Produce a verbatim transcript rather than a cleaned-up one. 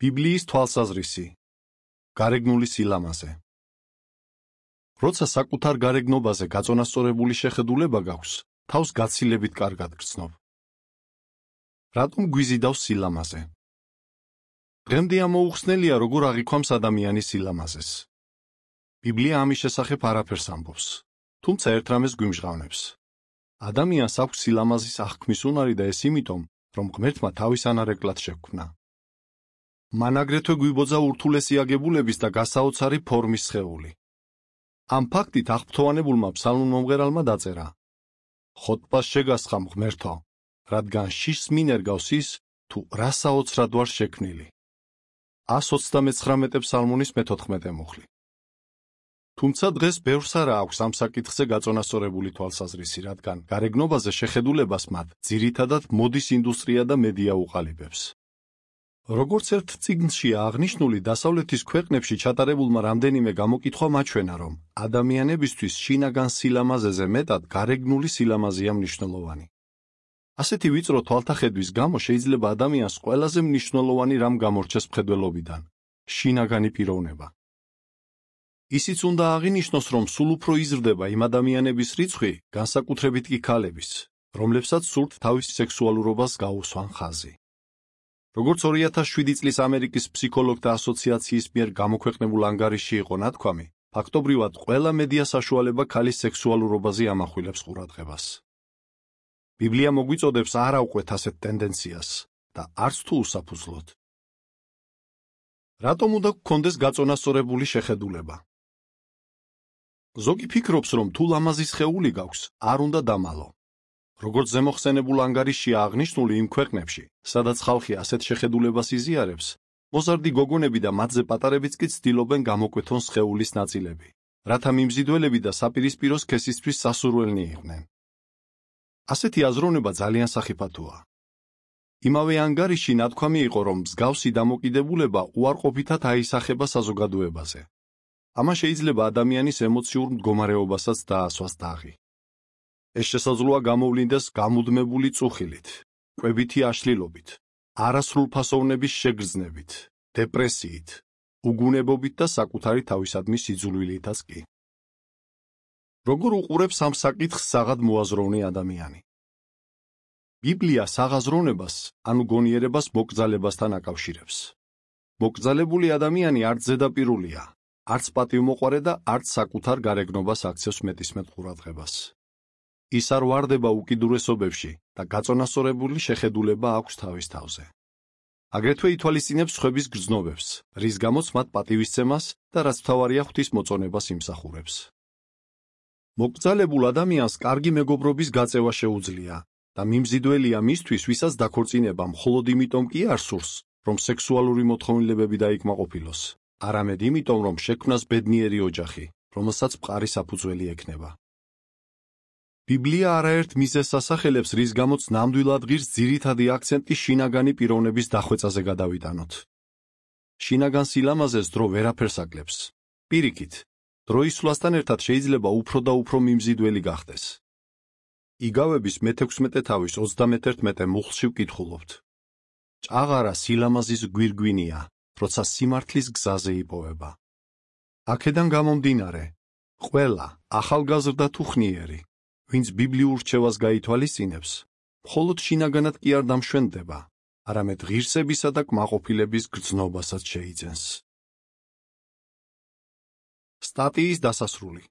ბიბლიის თვალსაზრისი. გარეგნული სილამაზე. როცა საკუთარ გარეგნობაზე გაწონასწორებული შეხედულება გაქვს, თავს გაცილებით კარგად გრძნობ. რატომ გვიზიდავს სილამაზე? დღემდე ამოუხსნელია, როგორ აღიქვამს ადამიანის სილამაზეს. ბიბლია ამის შესახებ არაფერს ამბობს, თუმცა ერთ რამეს გვიმჟღავნებს. ადამიანს აქვს სილამაზის აღქმის უნარი და ეს იმიტომ, რომ ღმერთმა თავის ანარეკლად შეგვქმნა. მან აგრეთვე გვიბოძა ურთულესი აგებულების და გასაოცარი ფორმის სხეული. ამ ფაქტით აღფრთოვანებულმა ფსალმურ მომღერალმა დაწერა: ხოტბას შეგასხამ ღმერთო, რადგან შიშს მინერგავს ის, თუ რა საოცრად ვარ შექმნილი. ას ოცდამეცხრამეტე ფსალმუნის მეთოთხმეტე მუხლი. თუმცა დღეს ბევრს არა აქვს ამ საკითხზე გაწონასწორებული თვალსაზრისი, რადგან გარეგნობაზე შეხედულებას მათ ძირითადად მოდის ინდუსტრია და მედია უყალიბებს. როგორც ერთ წიგნშია აღნიშნული, დასავლეთის ქვეყნებში ჩატარებულმა რამდენიმე გამოკითხვა მაჩვენა, რომ ადამიანებისთვის შინაგან სილამაზეზე მეტად გარეგნული სილამაზეა მნიშვნელოვანი. ასეთი ვიწრო თვალთახედვის გამო შეიძლება ადამიანს ყველაზე მნიშვნელოვანი რამ გამორჩეს მხედველობიდან: შინაგანი პიროვნება. ისიც უნდა აღინიშნოს, რომ სულ უფრო იზრდება იმ ადამიანების რიცხვი, განსაკუთრებით კი ქალების, რომლებსაც სურთ თავის სექსუალურობას გაუსვან ხაზი. როგორც ორი ათას შვიდი წლის ამერიკის ფსიქოლოგთა ასოციაციის მიერ გამოქვეყნებულ ანგარიშში იყო ნათქვამი, ფაქტობრივად ყველა მედია საშუალება ქალის სექსუალურობაზე ამახვილებს ყურადღებას. ბიბლია მოგვიწოდებს არ ავყვეთ ასეთ ტენდენციას და არც თუ უსაფუძვლოდ. რატომ უნდა გქონდეს გაწონასწორებული შეხედულება? ზოგი ფიქრობს, რომ თუ ლამაზი სხეული გაქვს, არ უნდა დამალო. როგორც ზემოხსენებულ ანგარიშშია აღნიშნული იმ ქვეყნებში, სადაც ხალხი ასეთ შეხედულებას იზიარებს, მოზარდი გოგონები და მათზე პატარებიც კი ცდილობენ გამოკვეთონ სხეულის ნაწილები, რათა მიმზიდველები და საპირისპირო სქესისთვის სასურველნი იყვნენ. ასეთი აზროვნება ძალიან სახიფათოა. იმავე ანგარიშში ნათქვამი იყო, რომ მსგავსი დამოკიდებულება უარყოფითად აისახება საზოგადოებაზე. ამან შეიძლება ადამიანის ემოციურ მდგომარეობასაც დაასვას დაღი. ეს შესაძლოა გამოვლინდეს გამუდმებული წუხილით, კვებითი აშლილობით, არასრულფასოვნების შეგრძნებით, დეპრესიით, უგუნებობით და საკუთარი თავისადმი სიძულვილითაც კი. როგორ უყურებს ამ საკითხს საღად მოაზროვნე ადამიანი? ბიბლია საღაზროვნებას, ანუ გონიერებას მოკრძალებასთან აკავშირებს. მოკრძალებული ადამიანი არც ზედაპირულია, არც პატივმოყვარე და არც საკუთარ გარეგნობას აქცევს მეტისმეტ ყურადღებას. ის არ ვარდება უკიდურესობებში და გაწონასწორებული შეხედულება აქვს თავის თავზე. აგრეთვე ითვალისწინებს სხვების გრძნობებს, რის გამოც მათ პატივისცემას და რაც მთავარია ღვთის მოწონებას იმსახურებს. მოკრძალებულ ადამიანს კარგი მეგობრობის გაწევა შეუძლია და მიმზიდველია მისთვის, ვისაც დაქორწინება მხოლოდ იმიტომ კი არ სურს, რომ სექსუალური მოთხოვნილებები დაიკმაყოფილოს, არამედ იმიტომ, რომ შექმნას ბედნიერი ოჯახი, რომელსაც მყარი საფუძველი ექნება. ბიბლია არაერთ მიზეზს ასახელებს, რის გამოც ნამდვილად ღირს ძირითადი აქცენტი შინაგანი პიროვნების დახვეწაზე გადავიტანოთ. შინაგან სილამაზეს დრო ვერაფერს აკლებს. პირიქით, დროის სვლასთან ერთად შეიძლება უფრო და უფრო მიმზიდველი გახდეს. იგავების მეთექვსმეტე თავის ოცდამეთერთმეტე მუხლში ვკითხულობთ. ჭაღარა სილამაზის გვირგვინია, როცა სიმართლის გზაზე იპოვება. აქედან გამომდინარე, ყველა ახალგაზრდა თუ ხნიერი, ვინც ბიბლიურ რჩევას გაითვალისწინებს, მხოლოდ შინაგანად კი არ დამშვენდება, არამედ ღირსებისა და კმაყოფილების გრძნობასაც შეიძენს. სტატიის დასასრული.